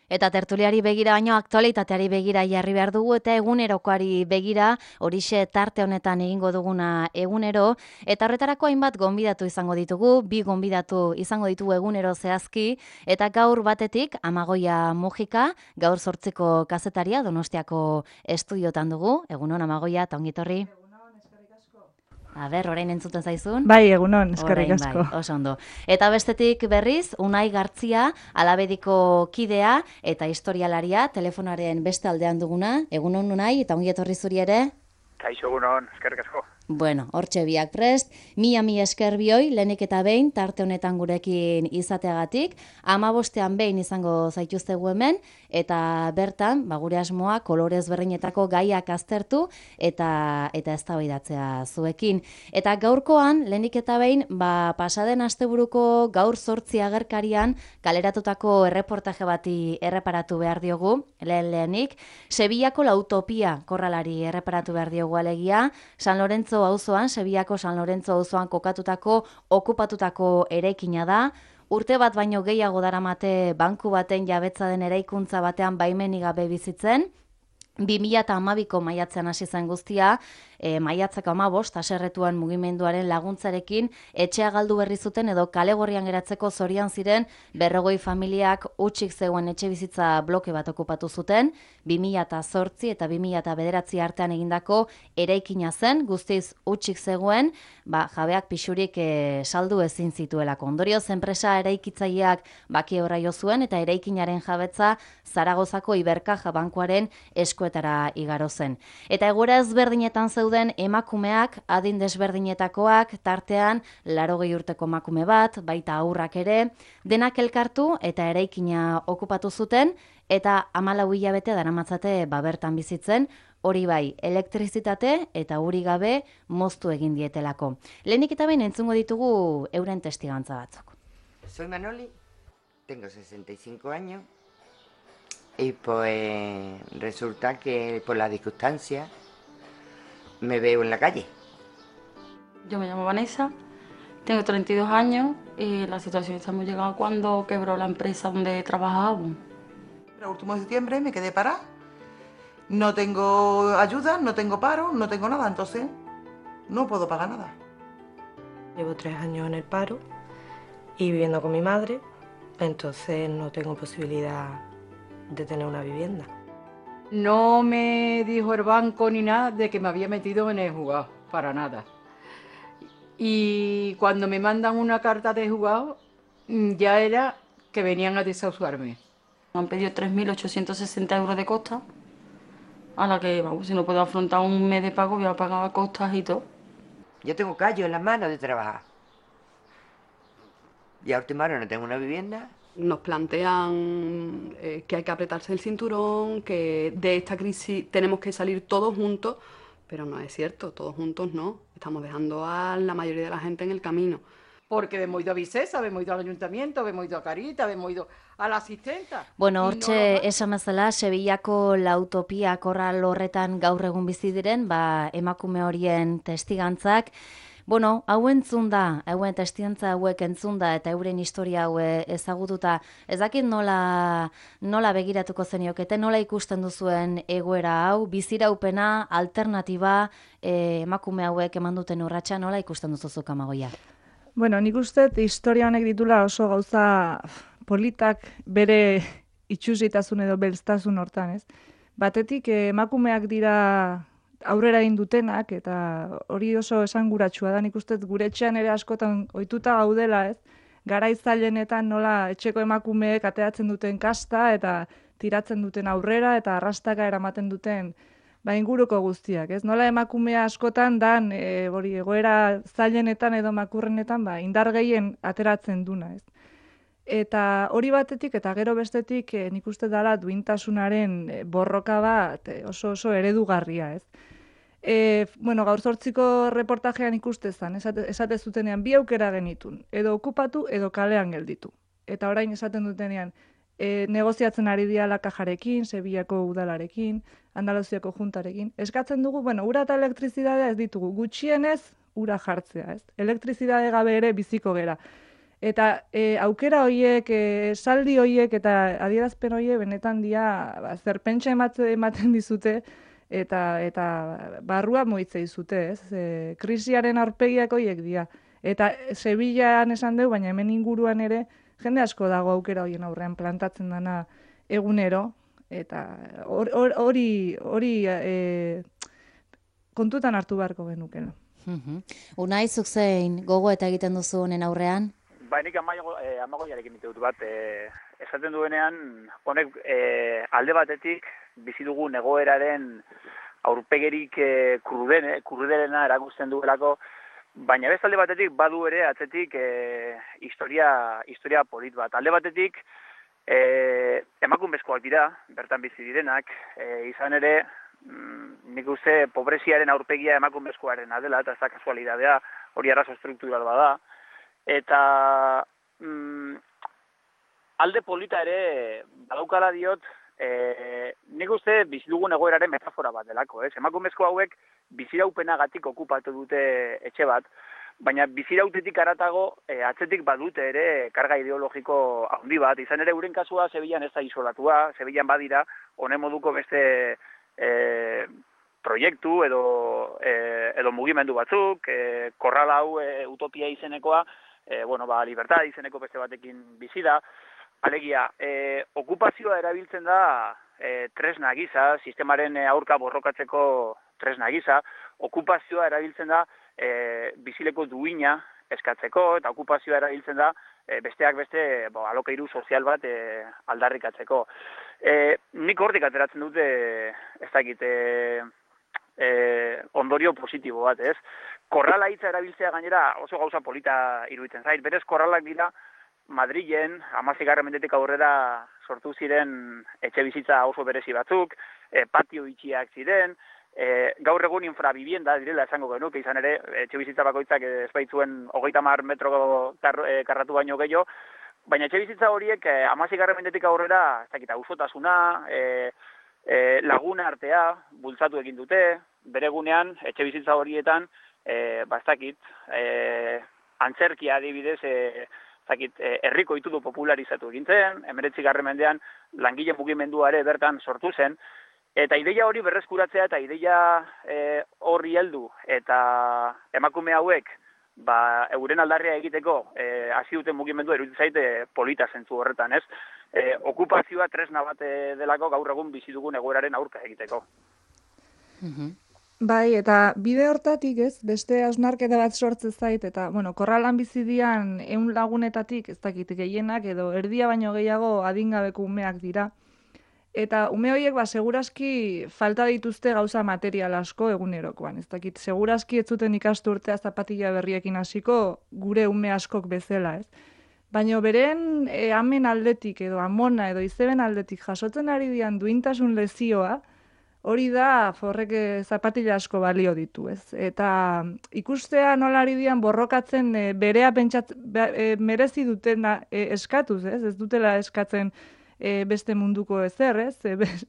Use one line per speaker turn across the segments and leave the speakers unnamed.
Eta tertuliari begira baino aktualitateari begira jarri behar dugu eta egunerokoari begira horixe tarte honetan egingo duguna egunero. Eta horretarako hainbat gonbidatu izango ditugu, bi gonbidatu izango ditugu egunero zehazki. Eta gaur batetik Amagoia Mujika, gaur 8ko kazetaria Donostiako estudiotan dugu. Egunon Amagoia, eta ongitorri. Orain entzuten zaizun?
Bai, egunon, eskerrik
Orain
asko.
bai, oso ondo. Eta bestetik berriz, Unai Gartzia, Alabediko kidea eta historialaria, telefonaren beste aldean duguna. Egunon Unai, eta ongi etorri zuri ere?
Kaixo, egunon, eskerrik asko.
Bueno, hortxe biak prest, mila esker bioi, lehenik eta behin, tarte honetan gurekin izateagatik, 15ean behin izango zaituztegu hemen, eta bertan, gure asmoa, kolorez berdinetako gaiak aztertu, eta eztabaidatzea zuekin. Eta gaurkoan, lehenik eta behin, pasaden asteburuko gaur 8 agerkarian, kaleratutako erreportaje bati erreparatu behar diogu, lehenik, Sevillako La Utopia korralari erreparatu behar diogu alegia, San Lorenzo auzoan, Sevillako San Lorenzo auzoan kokatutako, okupatutako eraikina da. Urte bat baino gehiago daramate banku baten jabetza den eraikuntza batean baimenik gabe bizitzen. 2012ko maiatzean hasi zen guztia, maiatzako 15 haserretuan mugimenduaren laguntzarekin etxea galdu berri zuten edo kale gorrian geratzeko zorian ziren 40 familiak hutsik zegoen etxe bizitza bloke bat okupatu zuten, 2008 eta 2009 artean egindako eraikina zen, guztiz hutsik zegoen, jabeak pixurik saldu ezin zituelako. Ondorioz enpresa eraikitzaileak baki horra jo zuen eta eraikinaren jabetza Zaragozako Ibercaja bankuaren eskuetara igaro zen. Eta egoera ezberdinetan zeuden emakumeak, adin desberdinetakoak, tartean 80 urteko emakume bat, baita haurrak ere, denak elkartu eta eraikina okupatu zuten, eta 14 hilabete daramatzate bertan bizitzen, hori bai, elektrizitate eta uri gabe moztu egin dietelako. Lehenik eta behin entzungo ditugu euren testigantza batzuk.
Soy Manoli, tengo 65 años y pues resulta que por la circunstancia me veo en la calle.
Yo me llamo Vanessa, tengo 32 años y la situación esta hemos llegado cuando quebró la empresa donde trabajábamos.
El último de septiembre me quedé parada. No tengo ayuda, no tengo paro, no tengo nada, entonces no puedo pagar nada.
Llevo 3 años en el paro y viviendo con mi madre, entonces no tengo posibilidad de tener una vivienda.
No me dijo el banco ni nada de que me había metido en el juzgado, para nada. Y cuando me mandan una carta de juzgado, ya era que venían a desahuciarme.
Me han pedido 3.860 euros de costa, a la que, vamos, si no puedo afrontar un mes de pago, voy a pagar costas y todo.
Yo tengo callos en las manos de trabajar. Y a última hora no tengo una vivienda.
Nos plantean que hay que apretarse el cinturón, que de esta crisis tenemos que salir todos juntos, pero no es cierto, todos juntos no. Estamos dejando a la mayoría de la gente en el camino.
Porque hemos ido a Vicesa, hemos ido al ayuntamiento, hemos ido a Carita, hemos ido a la asistenta.
Bueno, hortxe esan bezala, Sevillako La Utopia korral horretan gaur egun bizi diren, emakume horien testigantzak. Bueno, hau entzun da, hauen testigantza hauek entzun da eta euren historia hau ezagututa, ez dakit nola begiratuko zeniokete, nola ikusten duzuen egoera hau, biziraupena, alternatiba, emakume hauek eman duten urratsa, nola ikusten duzuzuk Amagoia?
Bueno, nik uste historia honek ditula oso gauza politak bere itxusitasun edo belztasun hortan, ez? Batetik emakumeak dira aurrera egin dutenak, eta hori oso esanguratsua da, nik uste gure etxean ere askotan ohituta gaudela, ez? Garai zailenetan nola etxeko emakumeek ateratzen duten kasta eta tiratzen duten aurrera eta arrastaka eramaten duten inguruko guztiak, ez? Nola emakumea askotan dan hori egoera zailenetan edo makurrenetan indar gehien ateratzen duna, ez? Eta hori batetik eta gero bestetik nik uste dela duintasunaren borroka bat oso eredugarria, ez? Bueno, gaur 8ko reportajean ikuste zen, esate zutenean bi aukera genitun, edo okupatu edo kalean gelditu. Eta orain esaten dutenean, negoziatzen ari dira Kajarekin, Sevillako udalarekin, Andaluziako juntarekin. Eskatzen dugu, ura eta elektrizidadea ez ditugu, gutxienez ura jartzea, ez? Elektrizidade gabe ere biziko gera. Eta aukera horiek, saldi horiek eta adierazpen horiek benetan dia zerpentsa ematen dizute eta barrua moitze dizute, ez? Krisiaren aurpegiak horiek dira. Eta Sevillaan esan dugu, baina hemen inguruan ere jende asko dago aukera horien aurrean plantatzen dana egunero, eta hori kontutan hartu beharko genukela.
Unai, zuk zein gogo eta egiten duzu honen aurrean?
Ba, nik amagoiarekin ite dut bat, esaten duenean, honek alde batetik bizi dugun egoeraren aurpegerik krudelena erakusten duelako, baina beste alde batetik badu ere atzetik historia polit bat. Alde batetik emakumezkoak dira, bertan bizi direnak, izan ere, nik uste pobreziaren aurpegia emakumezkoarena dela, eta ez da kasualidadea, hori arazo estruktural bada. Eta alde polita ere badaukala diot, nik uste bizi dugun egoeraren metafora bat delako, ez? Emakumezko hauek biziraupenagatik okupatu dute etxe bat, baina bizirautetik aratago atzetik badute ere karga ideologiko handi bat. Izan ere euren kasua Sevillan ez da isolatua, Sevillan badira honen moduko beste proiektu edo mugimendu batzuk, korral hau utopia izenekoa, libertad izeneko beste batekin bizi da. Alegia, okupazioa erabiltzen da tresna gisa, sistemaren aurka borrokatzeko tresna gisa, okupazioa erabiltzen da bizileko duina eskatzeko, eta okupazioa erabiltzen da besteak beste alokairu sozial bat aldarrikatzeko. Nik hortik ateratzen dute, ez dakit, ondorio positibo bat, ez? Korrala hitza erabiltzea gainera oso gauza polita iruditzen zait. Berez, korralak dira Madrilen 16. mendetik aurrera sortu ziren etxe bizitza oso berezi batzuk, patio itxiak ziren, gaur egun infrabivienda direla esango genuke, izan ere, etxe bizitza bakoitzak ez baitzuen 30 metro karratu baino gehiago, baina etxe bizitza horiek 16. mendetik aurrera, ez dakit, auzotasuna, laguna artea bultzatu egin dute, bere gunean, etxe bizitza horietan, ez dakit, antzerkia adibidez, herriko itudu popularizatu egin zen, 19. mendean langile mugimenduare bertan sortu zen, eta ideia hori berreskuratzea eta ideia horri heldu eta emakume hauek euren aldarria egiteko hasi duten mugimendua iruditzen zaite polita zentzu horretan, ez? Okupazioa tresna bat delako gaur egun bizi dugun egoeraren aurka egiteko.
Bai, eta bide hortatik, ez, beste hausnarketa bat sortzen zait, eta, korralan bizi dian 100 lagunetatik, ez dakit, gehienak, edo erdia baino gehiago adingabeko umeak dira. Eta ume horiek, segurazki falta dituzte gauza material asko egunerokoan. Ez dakit, segurazki ez zuten ikastu urtea zapatilla berriekin hasiko gure ume askok bezala, ez? Baina beren amen aldetik edo amona edo izeben aldetik jasotzen ari dian duintasun lezioa, hori da forrek zapatilla asko balio ditu, ez? Eta ikustea nola ari dian borrokatzen berea merezi dutena eskatuz, ez? Ez dutela eskatzen beste munduko ezer, ez?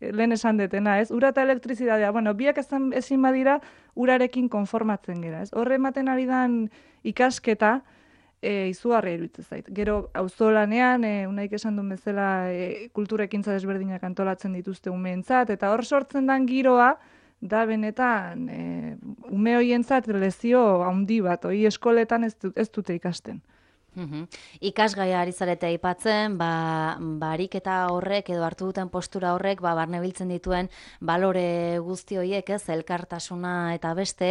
Lehen esan detena, ez? Ura eta elektrizidadea, biak ezin badira urarekin konformatzen gera, ez? Horre ematen ari dan ikasketa, izugarria iruditzen zait. Gero, auzolanean, Unaik esan duen bezala, kulturekintza desberdinak antolatzen dituzte umeentzat, eta hor sortzen dan giroa, da benetan, ume hoientzat lezio handi bat, hori eskoletan ez dute ikasten.
Ikasgaia ari zarete aipatzen, ariketa horrek edo hartu duten postura horrek barnebiltzen dituen balore guzti horiek, ez, elkartasuna eta beste,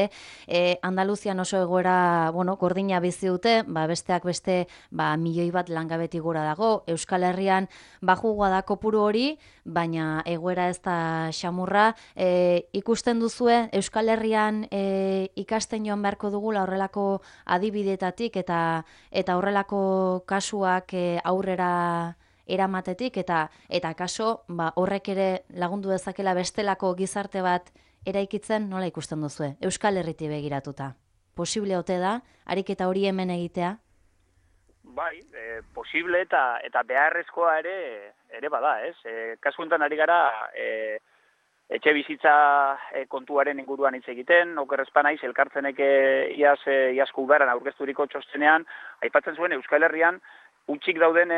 Andaluzian oso egoera, gordina bizi dute, besteak beste, milioi bat langabeti gora dago, Euskal Herrian bajugua da kopuru hori, baina egoera ez da xamurra, ikusten duzue Euskal Herrian ikasten joan beharko dugula horrelako adibidetatik eta horrelako kasuak aurrera eramatetik eta kaso horrek ere lagundu dezakela bestelako gizarte bat eraikitzen, nola ikusten duzue? Euskal Herriti begiratuta. Posible ote da, ariketa hori hemen egitea?
Bai, posible eta beharrezkoa ere bada, ez? Kasu honetan ari gara etxe bizitza kontuaren inguruan hitz egiten, oker ez banaiz, elkartzenek iazko udaran aurkezturiko txostenean, aipatzen zuen Euskal Herrian, utxik dauden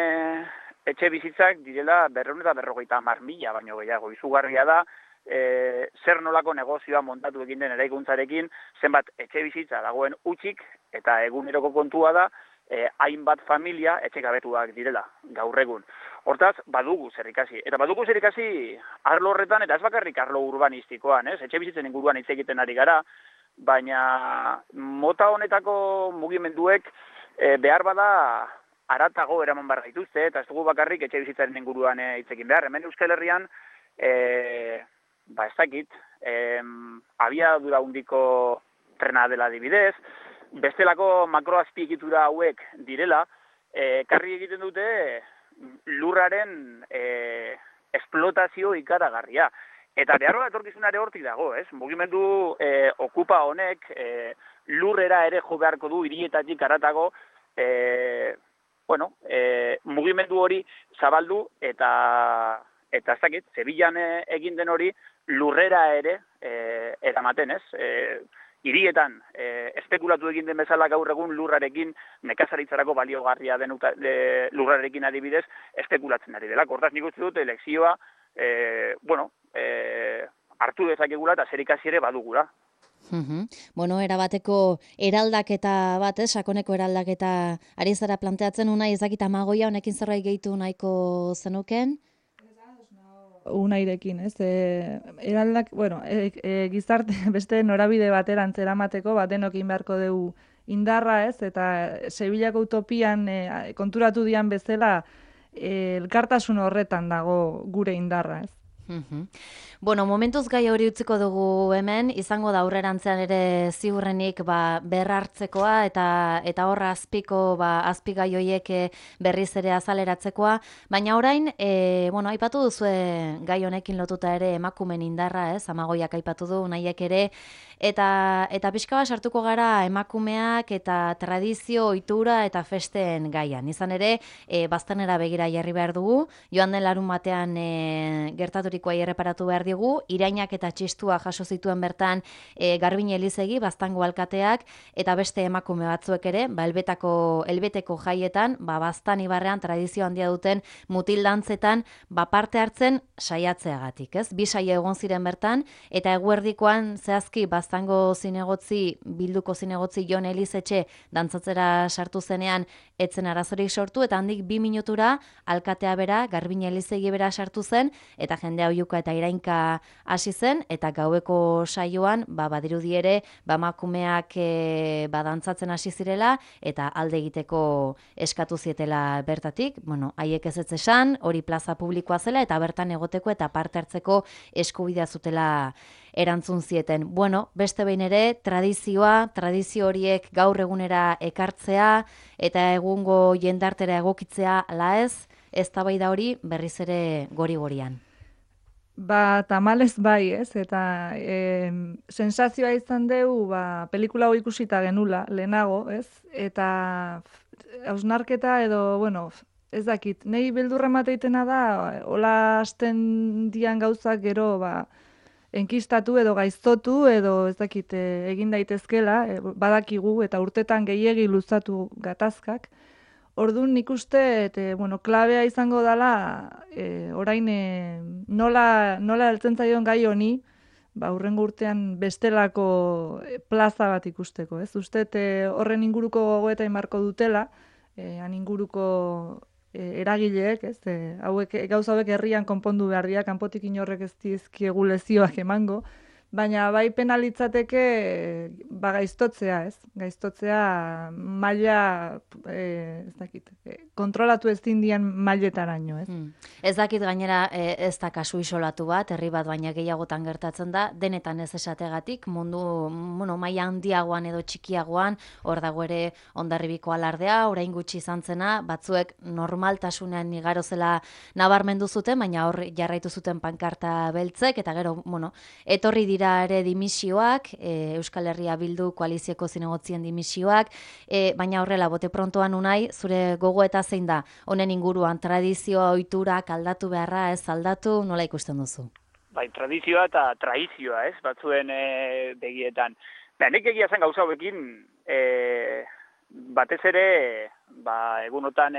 etxe bizitzak direla 250.000 baino gehiago. Izugarria da, zer nolako negozioa montatu egin den eraikuntzarekin, zenbat etxe bizitza dagoen utxik, eta eguneroko kontua da, hainbat familia etxekabetuak direla, gaur egun. Hortaz, badugu zer ikasi. Eta badugu zer ikasi arlo horretan, eta ez bakarrik arlo urbanistikoan, etxe bizitzen inguruan hitz egiten ari gara, baina mota honetako mugimenduek behar bada haratago eraman behar gaituzte, eta ez dugu bakarrik etxe bizitzaren inguruan hitz egin behar. Hemen Euskal Herrian, ez dakit, abiadura handiko trena dela adibidez, bestelako makroazpiegitura hauek direla, karri egiten dute lurraren esplotazio ikaragarria. Eta behar bat etorkizunare hortik dago, ez? Mugimendu okupa honek lurrera ere jo beharko du hirietatik haratago, mugimendu hori zabaldu eta ez dakit, Sevillan egin den hori lurrera ere eramaten, ez? Hirietan espekulatu egin den bezala gaur egun lurrarekin, nekazaritzarako baliogarria den lurrarekin adibidez, espekulatzen ari dela. Hortaz nik uste dut elekzioa, hartu dezakegula eta zerikasi ere badugula.
Erabateko eraldaketa bat, sakoneko eraldaketa ari zara planteatzen unai, ezakit Amagoia honekin zerbait gehitu nahiko zenuken?
Unairekin, ez? Eraldak, gizarte beste norabide baterantz eramateko, denokin beharko dugu indarra, ez? Eta Sevillako utopian konturatu dian bezala elkartasun horretan dago gure indarra, ez?
Momentuz gai hori utziko dugu hemen, izango da aurrerantzean ere ziurrenik berrartzekoa eta horra azpigai horiek berriz ere azaleratzekoa, baina orain, aipatu duzue gai honekin lotuta ere emakumen indarra, ez? Amagoiak aipatu du, nahiek ere, eta pixka bat sartuko gara emakumeak eta tradizio, ohitura eta festen gaian. Izan ere, baztanera begira jarri behar dugu, joan den larun batean gertaturikoa erreparatu behar digu, irainak eta txistua jaso zituen bertan Garbine Elizegi, Baztango alkateak, eta beste emakume batzuek ere, elbeteko jaietan, Baztan ibarrean tradizio handia duten mutildantzetan, parte hartzen saiatzeagatik, ez? 2 saio egon ziren bertan, eta eguerdikoan zehazki Baztango zinegotzi, bilduko zinegotzi Jon Elizetxe dantzatzera sartu zenean, etzen arazorik sortu, eta handik 2 minutura alkatea bera, Garbine Elizegi bera sartu zen, eta jendea oihuka eta irainka hasi zen, eta gaueko saioan, badirudi ere, emakumeak dantzatzen hasi zirela, eta alde egiteko eskatu zietela bertatik, haiek ez esan, hori plaza publikoa zela, eta bertan egoteko eta parte hartzeko eskubidea zutela erantzun zieten. Beste behin ere, tradizio horiek gaur egunera ekartzea, eta egungo jendartera egokitzea ala ez, eztabaida hori berriz ere gori-gorian.
Tamalez bai, ez? Eta sensazioa izan dugu, pelikula hau ikusita genula, lehenago, ez? Eta hausnarketa edo, ez dakit, nahi beldurra mateitena da, hola hasten dian gauzak gero, enkistatu edo gaiztotu edo ez dakit egin daitezkela, badakigu eta urtetan gehiegi luzatu gatazkak. Orduan nik uste, klabea izango dela, orain nola heltzen zaion gai honi, hurrengo urtean bestelako plaza bat ikusteko, ez? Uste horren inguruko gogoeta inbarko dutela, han inguruko eragileek, ez? Gauza hauek herrian konpondu behar dira, kanpotik inorrek ez dizkiegu lezioak emango, baina bai penalitzateke gaiztotzea, ez? Gaiztotzea maila, ez dakit, kontrolatu ezin dian mailetaraino, ez?
Ez dakit gainera ez da kasu isolatu bat, herri bat baina gehiagotan gertatzen da, denetan ez esategatik, mundu maila handiagoan edo txikiagoan, hor dago ere Hondarribiko alardea, orain gutxi izan zena, batzuek normaltasunean igaro zela nabarmendu zuten, baina hor jarraitu zuten pankarta beltzek, eta gero, etorri dira ere dimisioak, Euskal Herria Bildu koalizioko zinegotzien dimisioak, baina horrela, bote prontoan unai, zure gogoeta zein da, honen inguruan tradizioa, ohiturak aldatu beharra, ez aldatu, nola ikusten duzu?
bai, tradizioa eta traizioa, ez, batzuen begietan. Nik egia zen gauza hauekin, batez ere, egunotan,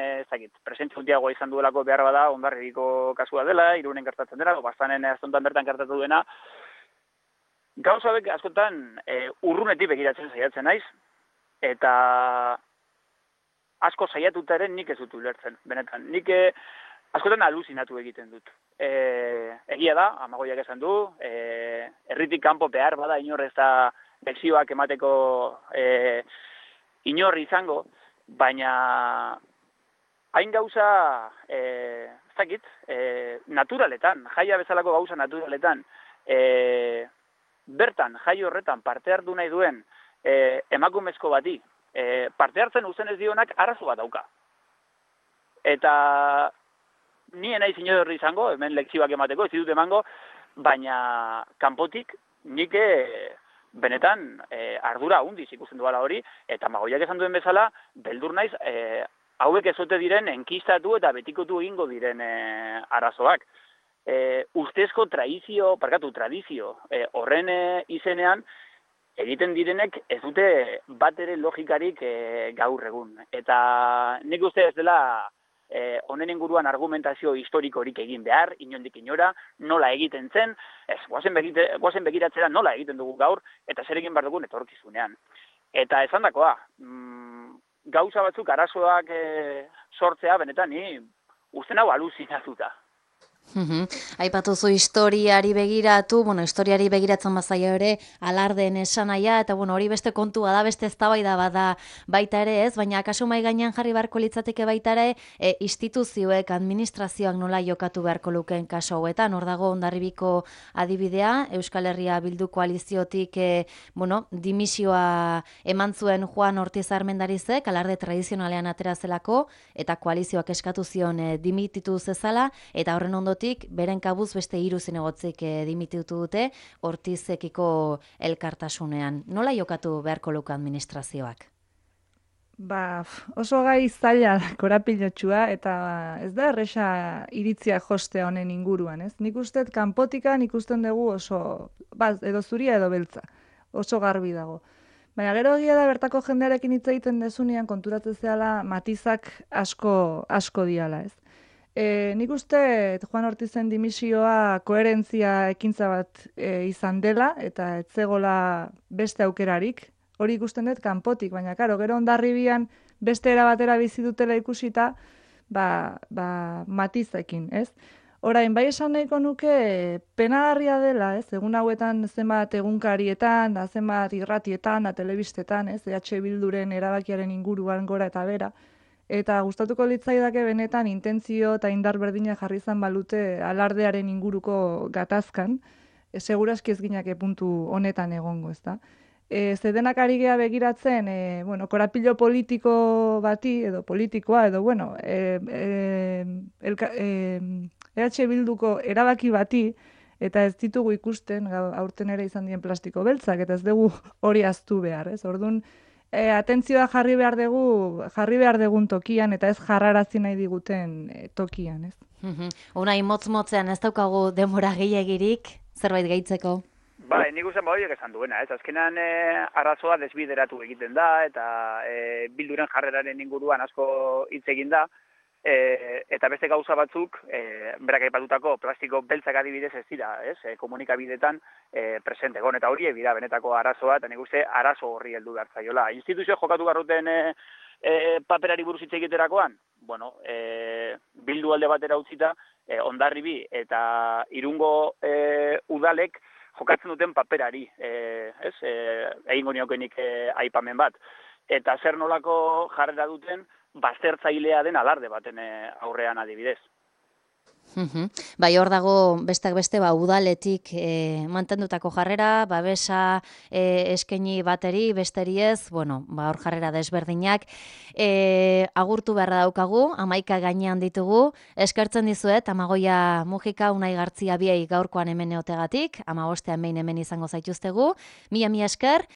presentzia handiagoa izan duelako behar bada, Hondarribiko kasua dela, Irunen gertatzen dela, Bastanen aztontan bertan gertatu dena. Gauza hauek askotan urrunetik begiratzen saiatzen naiz, eta asko saiatutaren nik ez dut ulertzen, benetan. Nik askotan aluzinatu egiten dut. Egia da, Amagoiak esan du, herritik kanpo behar bada inor ez da lezioak emateko inor izango, baina hain gauza, ez dakit, naturaletan, jaia bezalako gauza naturaletan, bertan, jai horretan parte hartu nahi duen emakumezko bati, parte hartzen uzen ez dionak arazo bat dauka. Eta ni naiz inor izango, hemen lekzioak emateko, ez ditut emango, baina kanpotik nik benetan ardura hundiz ikusten duela hori, eta Amagoiak esan duen bezala, beldur naiz, hauek ezote diren enkistatu eta betikotu egingo diren arazoak. Ustezko tradizio horren izenean, egiten direnek ez dute bat ere logikarik gaur egun. Eta nik uste ez dela honen inguruan argumentazio historikorik egin behar, inondik inora, nola egiten zen, guazen begiratzera nola egiten dugu gaur, eta zer egin behar dugun etorkizunean. Eta esan dakoa, gauza batzuk arazoak sortzea, benetan, ni uste hau aluzinatuta.
Aipatuzu historiari begiratu, historiari begiratzen bazaio ere alardeen esanaia, eta hori beste kontua da, beste eztabaida bada baita ere ez, baina kasu mai gainean jarri beharko litzateke baita ere instituzioek, administrazioak nola jokatu beharko lukeen kasu hauetan. Hor dago Hondarribiko adibidea, Euskal Herria Bildu koaliziotik dimisioa eman zuen Juan Ortiz Armendarizek, alarde tradizionalean atera zelako, eta koalizioak eskatu zion dimititu zezala, eta horren ondotik beren kabuz beste 3 zinegotzik dimititu dute Ortizekiko elkartasunean. Nola jokatu beharko luke administrazioak?
Oso gai zaila korapilotsua, eta ez da erresa iritzia jostea honen inguruan, ez? Nik uste kanpotikan ikusten dugu oso, edo zuria edo beltza, oso garbi dago. Baina gero egia da bertako jendearekin hitz egiten dezunean konturatzen zehala matizak asko diala, ez? Nik uste Juan Ortizen dimisioa koherentzia ekintza bat izan dela, eta ez zegoela beste aukerarik, hori ikusten dut kanpotik, baina karo, gero Hondarribian beste era batera bizi dutela ikusita, matizekin, ez? Orain, bai esan nahiko nuke penagarria dela, ez? Egun hauetan zenbat egunkarietan, zenbat irratietan, telebistetan, ez? EH Bilduren erabakiaren inguruan gora eta bera, eta gustatuko litzaidake benetan intentzio eta indar berdina jarri izan balute alardearen inguruko gatazkan, segurazki ez ginake puntu honetan egongo, ezta? Zedenak ari gea begiratzen, korapilo politiko bati, edo politikoa, edo, EH Bilduko erabaki bati, eta ez ditugu ikusten, aurten ere izan dien plastiko beltzak, eta ez dugu hori aztu behar, ez? Orduan, atentzioa jarri behar dugun tokian, eta ez jarrarazi nahi diguten tokian, ez?
Unai motz-motzean ez daukagu denbora gehiagirik, zerbait gehitzeko?
Nik uste horiek esan duena, ez? Azkenan arazoa desbideratu egiten da, eta Bilduren jarreraren inguruan asko hitz egin da, eta beste gauza batzuk, berak aipatutako plastiko beltzak adibidez ez dira, ez? Komunikabidetan presente egon, eta hori ebida benetako arazoa, eta nik uste arazo horri heldu behar zaiola. Instituzio jokatu garruten paperari buruz hitz egiterakoan, Bildu alde batera utzita, Hondarribi eta Irungo udalek jokatzen duten paperari, egingo niokenik aipamen bat. Eta zer nolako jarrera duten baztertzailea den alarde baten aurrean adibidez.
Bai, hor dago besteak beste udaletik mantendutako jarrera, babesa eskaini bateri, besteri ez, hor jarrera desberdinak. Agurtu beharra daukagu, 11 gainean ditugu, eskertzen dizuet, Amagoia Mujika, Unai Gartzia biei gaurkoan hemen eotegatik, 15ean behin hemen izango zaituztegu, mila esker,